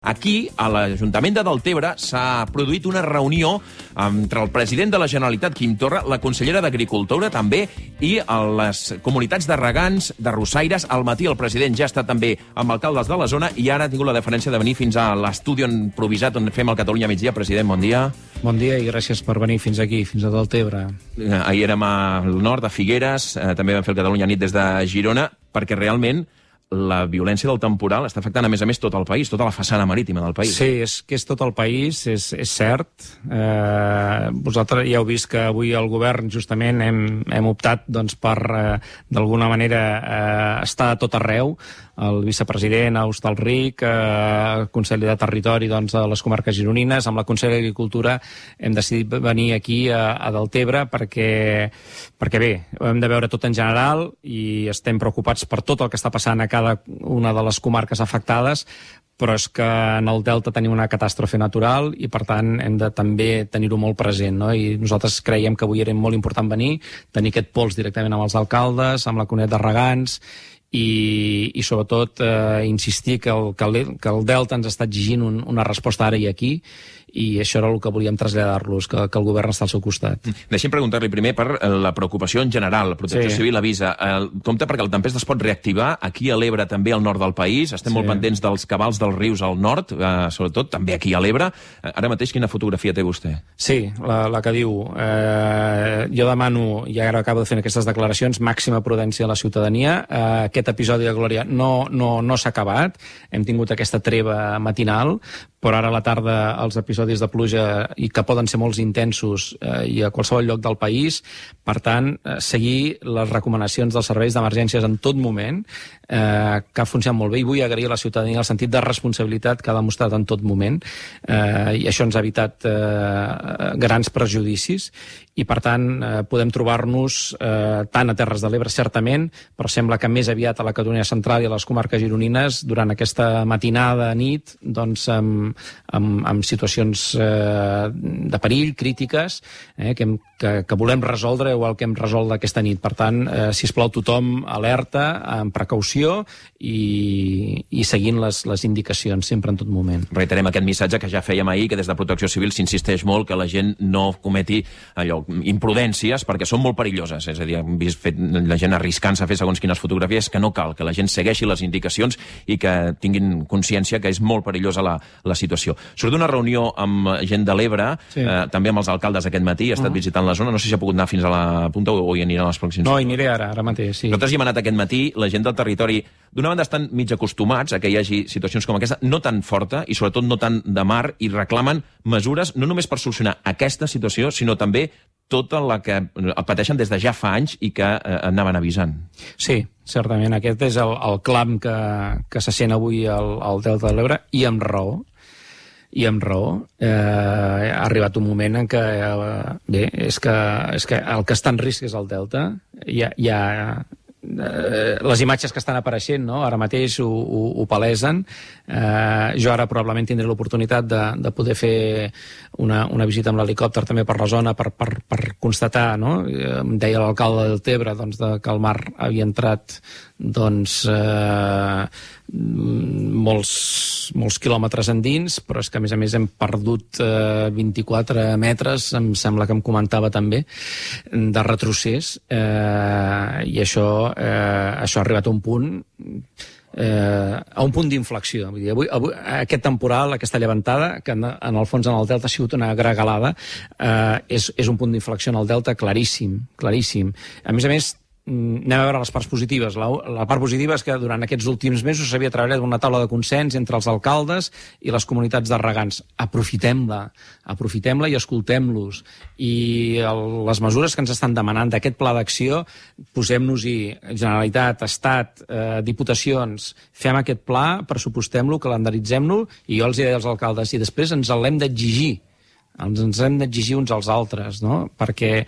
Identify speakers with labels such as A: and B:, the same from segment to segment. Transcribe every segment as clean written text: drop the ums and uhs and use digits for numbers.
A: Aquí, a l'Ajuntament de Deltebre, s'ha produït una reunió entre el president de la Generalitat, Quim Torra, la consellera d'Agricultura, també, i les comunitats de regants, de rossaires. Al matí el president ja ha estat també amb alcaldes de la zona i ara ha tingut la deferència de venir fins a l'estudi improvisat on fem el Catalunya Migdia. President, bon dia.
B: Bon dia i gràcies per venir fins aquí, fins a Deltebre.
A: Ahir érem al nord, a Figueres, també vam fer el Catalunya Nit des de Girona, perquè realment la violència del temporal està afectant, a més, tot el país, tota la façana marítima del país.
B: Sí, és que és tot el país, és cert. Vosaltres ja heu vist que avui el govern justament hem optat doncs, per, d'alguna manera, estar a tot arreu. El vicepresident a Hostalric, el conseller de Territori doncs, a les comarques gironines, amb la consellera d'Agricultura hem decidit venir aquí a Deltebre perquè bé, ho hem de veure tot en general i estem preocupats per tot el que està passant a cada una de les comarques afectades, però és que en el Delta tenim una catàstrofe natural i, per tant, hem de també tenir-ho molt present, no? I nosaltres creiem que avui era molt important venir, tenir aquest pols directament amb els alcaldes, amb la comunitat de regants, i sobretot insistir que el Delta ens està exigint una resposta ara i aquí, i això era el que volíem traslladar-los, que el govern està al seu costat.
A: Deixi'm preguntar-li primer per la preocupació en general. Protecció Civil avisa. Compte perquè el tempest es pot reactivar aquí a l'Ebre, també al nord del país. Estem molt pendents dels cabals dels rius al nord, sobretot també aquí a l'Ebre. Ara mateix, quina fotografia té vostè?
B: Sí, la que diu. Jo demano, i ara acabo de fer aquestes declaracions, màxima prudència a la ciutadania. Aquest episodi de Glòria no s'ha acabat. Hem tingut aquesta treva matinal, però ara a la tarda els episodis de pluja, i que poden ser molt intensos i a qualsevol lloc del país. Per tant, seguir les recomanacions dels serveis d'emergències en tot moment, que ha funcionat molt bé, i vull agrair a la ciutadania el sentit de responsabilitat que ha demostrat en tot moment, i això ens ha evitat grans prejudicis, i per tant podem trobar-nos tant a Terres de l'Ebre, certament, però sembla que més aviat a la Catalunya Central i a les comarques gironines, durant aquesta matinada, nit, doncs amb situacions de perill, crítiques, que volem resoldre, igual que hem resolt aquesta nit. Per tant, sisplau, tothom alerta, amb precaució i seguint les indicacions sempre en tot moment.
A: Reiterem aquest missatge que ja fèiem ahir, que des de Protecció Civil s'insisteix molt que la gent no cometi imprudències, perquè són molt perilloses. És a dir, hem vist la gent arriscant-se a fer segons quines fotografies, que no cal, que la gent segueixi les indicacions i que tinguin consciència que és molt perillosa la situació. Surt d'una reunió amb gent de l'Ebre, també amb els alcaldes aquest matí, ha estat visitant la zona, no sé si ha pogut anar fins a la punta o hi anirà a les pròximes.
B: No, hi aniré ara mateix, sí.
A: Nosaltres hi hem anat aquest matí, la gent del territori, d'una banda estan mig acostumats a que hi hagi situacions com aquesta, no tan forta i sobretot no tan de mar, i reclamen mesures no només per solucionar aquesta situació, sinó també tota la que pateixen des de ja fa anys i que anaven avisant.
B: Sí, certament. Aquest és el clam que se sent avui al Delta de l'Ebre, i amb raó. Ha arribat un moment en què és que el que està en risc és el Delta. Les imatges que estan apareixent, no? Ara mateix ho palesen. Jo ara probablement tindré l'oportunitat de poder fer una visita amb l'helicòpter també per la zona per constatar, no? Em deia l'alcalde de Deltebre que el mar havia entrat molts quilòmetres endins, però és que a més hem perdut 24 metres, em sembla que em comentava també, de retrocés, i això ha arribat a un punt d'inflexió. Avui, aquest temporal, aquesta llevantada, que en el fons en el Delta ha sigut una gregalada, és un punt d'inflexió en el Delta claríssim. A més, anem a veure les parts positives. La part positiva és que durant aquests últims mesos s'havia treballat una taula de consens entre els alcaldes i les comunitats de regants. Aprofitem-la i escoltem-los. I les mesures que ens estan demanant d'aquest pla d'acció, posem-nos-hi, Generalitat, Estat, Diputacions, fem aquest pla, pressupostem-lo, calendaritzem-lo, i jo els deia als alcaldes, i després ens l'hem d'exigir. Ens hem d'exigir uns als altres, no? Perquè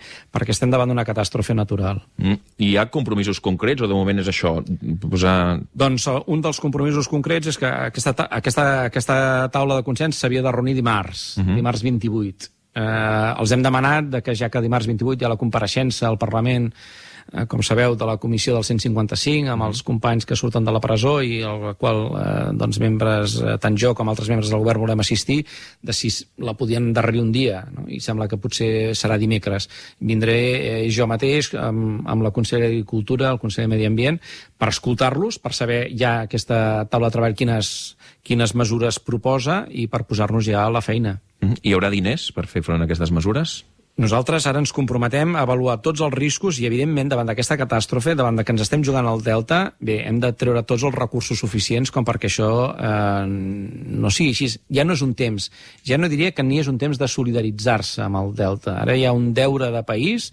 B: estem davant d'una catàstrofe natural.
A: Hi ha compromisos concrets o de moment és això?
B: Doncs un dels compromisos concrets és que aquesta taula de consens s'havia de reunir dimarts 28. Els hem demanat que ja que dimarts 28 hi ha la compareixença al Parlament com sabeu, de la comissió del 155, amb els companys que surten de la presó i al qual membres, tant jo com altres membres del govern volem assistir, de si la podien endarrerir un dia, no? I sembla que potser serà dimecres. Vindré jo mateix amb la consellera d'Agricultura, el conseller de Medi Ambient, per escoltar-los, per saber ja aquesta taula de treball quines mesures proposa i per posar-nos ja a la feina.
A: Hi haurà diners per fer front a aquestes mesures?
B: Nosaltres ara ens comprometem a avaluar tots els riscos i, evidentment, davant d'aquesta catàstrofe, davant de que ens estem jugant al Delta, bé, hem de treure tots els recursos suficients com perquè això no sigui així. Ja no és un temps, ja no diria que ni és un temps de solidaritzar-se amb el Delta. Ara hi ha un deure de país,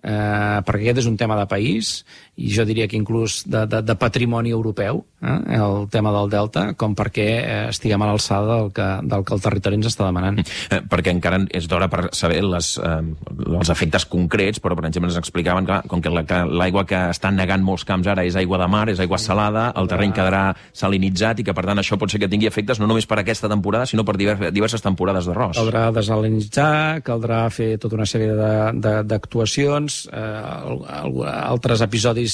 B: perquè aquest és un tema de país, i jo diria que inclús de patrimoni europeu, el tema del Delta, com perquè estiguem a l'alçada del que el territori ens està demanant.
A: Perquè encara és d'hora per saber els efectes concrets, però, per exemple, ens explicaven que com que l'aigua que estan negant molts camps ara és aigua de mar, és aigua salada, el terreny quedarà salinitzat i que, per tant, això pot ser que tingui efectes no només per aquesta temporada, sinó per diverses temporades d'arròs.
B: Caldrà desalinitzar, caldrà fer tota una sèrie d'actuacions, altres episodis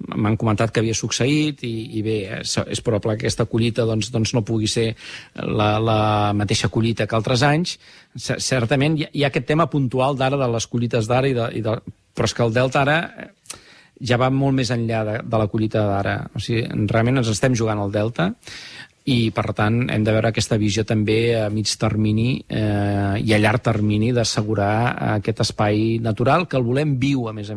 B: m'han comentat que havia succeït i bé, és probable que aquesta collita doncs no pugui ser la mateixa collita que altres anys. Certament hi ha aquest tema puntual d'ara, de les collites d'ara, però és que el Delta ara ja va molt més enllà de la collita d'ara. O sigui, realment ens estem jugant al Delta i, per tant, hem de veure aquesta visió també a mig termini i a llarg termini d'assegurar aquest espai natural, que el volem viu, a més,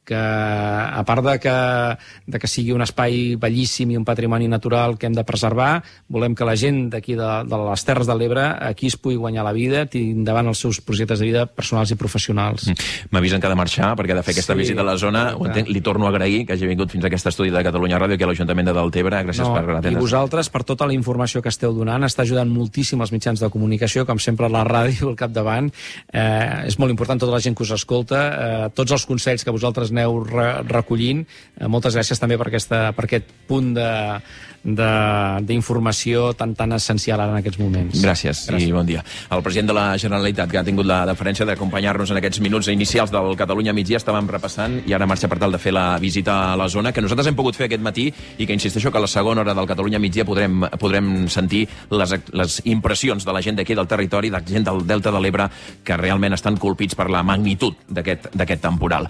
B: que a part de que sigui un espai bellíssim i un patrimoni natural que hem de preservar, volem que la gent d'aquí de les Terres de l'Ebre aquí es pugui guanyar la vida, tingui endavant els seus projectes de vida personals i professionals.
A: M'avisen que ha de marxar perquè ha de fer aquesta visita a la zona. Ho entenc, li torno a agrair que hagi vingut fins a aquest estudi de Catalunya Ràdio aquí a l'Ajuntament de Deltebre. Gràcies per atendre's.
B: I vosaltres per tota la informació que esteu donant. Està ajudant moltíssim els mitjans de comunicació, com sempre la ràdio al capdavant. És molt important tota la gent que us escolta, tots els consells que vosaltres aneu recollint. Moltes gràcies també per aquest punt d'informació tan essencial ara en aquests moments.
A: Gràcies i bon dia. El president de la Generalitat, que ha tingut la deferència d'acompanyar-nos en aquests minuts inicials del Catalunya migdia, estàvem repassant i ara marxa per tal de fer la visita a la zona, que nosaltres hem pogut fer aquest matí i que insisteixo que a la segona hora del Catalunya migdia podrem sentir les impressions de la gent d'aquí del territori, de la gent del Delta de l'Ebre, que realment estan colpits per la magnitud d'aquest temporal.